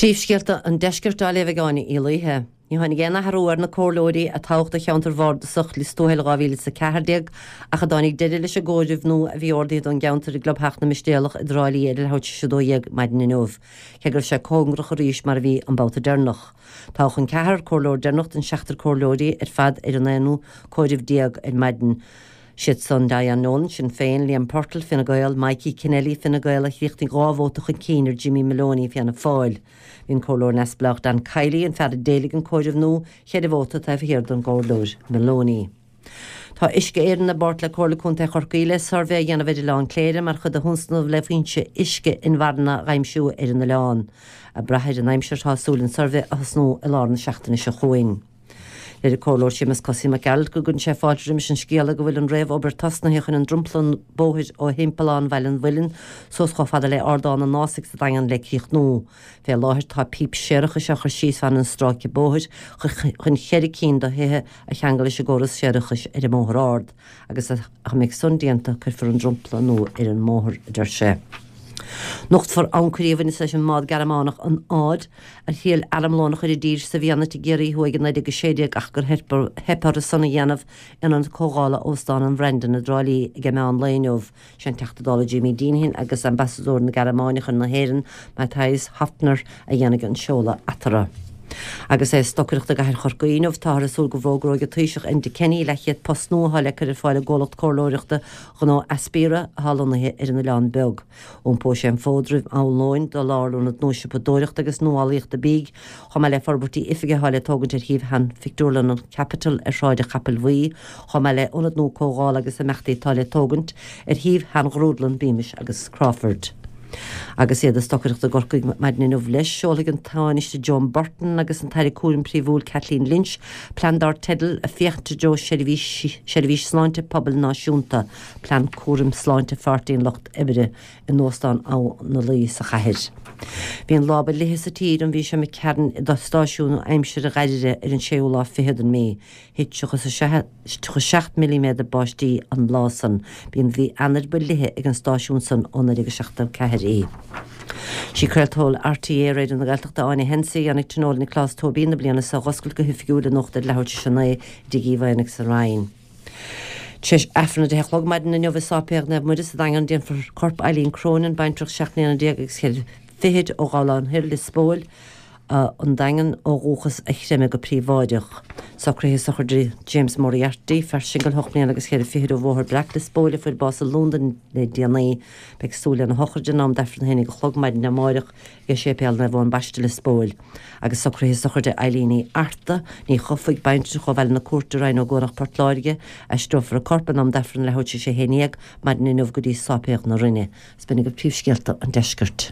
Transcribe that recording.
Príomhscéalta an Deiscirt á léamh ag Áine Uí Laoithe. Ní tháinig aon athrú ar na comhairleoirí a toghadh do cheantar bhardasach Lios Tuathail 2014 ach a dtáinig deireadh leis an gcomhaireamh nua a bhí ordaithe don gceantar i gClubtheach na Mistéalach i dTrá Lí ar a leathuair tar éis 12 maidin inniu, cé go raibh sé cóngarach arís mar a bhí an babhta deireanach. Toghadh an ceathrar comhairleoir deireanach den seachtar comhairleoirí ar fad ar an aonú comhaireamh déag ar maidin. Siad san, Diane Nolan, Sinn Féin, Liam Purtle, Fine Gael, Mikey Kennelly, Fine Gael, a chríochnaigh 2 vóta chun cinn ar Jimmy Moloney, Fianna Fáil. Bhí an Comhairleoir Neamhspleách Dan Kiely, an fear a d'éiligh an comhaireamh nua, cheithre vóta taobh thiar den gComhairleoir Moloney. Tá Uisce Éireann i bpáirt le Comhairle Contae Chorcaí le suirbhé a dhéanamh ar Oileán Cléire mar chuid de thionscnamh le foinse uisce inmharthana a aimsiú ar an oileán. Ag brath ar an aimsir tá súil an suirbhé a thosnú i lár na seachtaine seo chugainn. Deir an Comhairleoir Séamus Cosaí Mac Gearailt go gcuireann sé fáilte roimis an scéala go bhfuil an réamh-obair tosnaithe chun an dromchla bóthair ó Thimpeallán Bhaile an Mhuilinn suas chomh fada le Ardán an Ásaigh sa Daingean le críochnú. Fé láthair tá píp séarachais á chur síos fan an stráice bóthair chun cheithre cinn de thithe a cheangal leis an gcóras séarachais ar an mBóthar Ard. agus dá mbeidh san déanta cuirfear an dromchla nua ar an mbóthar, a deir sé. Nochtfar ancairí a bhaineas leis an mbád Gearmánach an Aud, a thriail armlón a chur i dtír sa bhFianait i gCiarraí Thuaidh i 1916 ach gur theip orthu san a dhéanamh in Ionad Comhdhála Óstán an Bhrandon i dTrá Lí ag an meán lae inniu. Sé an Teachta Dála Jimmy Deenihan agus Ambasadóir na Gearmáine chun na hÉireann, Matthias Hopfner, a dhéanfaidh an seoladh eatarthu. Agus é ag stocaireacht i gcathair Chorcaí inniu, táthar ag súil go bhfógróidh an Taoiseach Enda Kenny leathchéad post nua atá le cur ar fáil ag gcomhlacht comhairleoireachta gnó Aspira atá lonnaithe ar an Oileán Beag. Iompóidh sé an fód roimh am lóin do lárionad nua siopadóireachta agus nuálaíochta bídh, chomh maith le forbairtí oifige atá le tógaint ar shuíomh shean-phictiúrlann an Capitol ar Shráid an Chapaill Bhuí, chomh maith le ionad nua comhdhála agus imeachtaí atá le tógaint ar shuíomh shean-ghrúdlann Beamish agus Crawford. Agus iad ag stocaireacht i gCorcaigh maidin inniu leis, seolfaidh an Tánaiste Joan Burton agus an tAire Cúraim Phríomhúil Kathleen Lynch plean dar teideal 'Ag Féachaint i dtreo Seirbhís Sláinte Pobail Náisiúnta, Plean Cúraim Sláinte Pháirtí an Lucht Oibre' in Óstán Abha na Laoi sa chathair. Bhí an lá ba fhliche sa tír an mhí seo imigh tharainn i stáisiún aimsire Dhoire ar an séú lá fichead den mhí. Thit 37 milliméadar báistí an lá san. B'í an mhí Eanáir ba fhliche ag an stáisiún san ó 1974 í. Sí craoltóir RTÉ Raidió na Gaeltachta Áine Hensey a dhéanfaidh Tionól Nioclás Tóibín na bliana seo a dh'oscailt go hoifigiúil anocht ar leathuair tar éis a 9 i dTigh Uí Mhaonaigh sa Rinn. Tar éis Aifreann a 10 a chlog maidin inniu i Sáipéal Naomh Muire sa Daingean déanfar corp Eileen Cronin, baintreach 17 mbliana agus cheithre fichid ó Ghabhlán Thoir, Lios Póil, an Daingean ó dhúchas a chreimeadh go príobháideach. Socruithe sochraide James Moriarty, fear singil 8 mbliana agus cheithre fichid ó Bhóthar Breac, Lios Póil, a fuair bás i Londain le déanaí. Beidh súil lena shochraid in am d'Aifreann a haon déag a chlog maidin amáireach ag Séipéal Naomh Eoin Baiste, Lios Póil. Agus socruithe sochraide Eileen Uí Fhearta, Ní Chofaigh, baintreach ó Bhaile na Cúirte, Rinn Ó gCuanach, Port Láirge, aistreofar a corp in am d'Aifreann leathuair tar éis a 11 maidin inniu go dtí Sáipéal na Rinne. Is b'in agaibh príomhscéalta an deiscirt.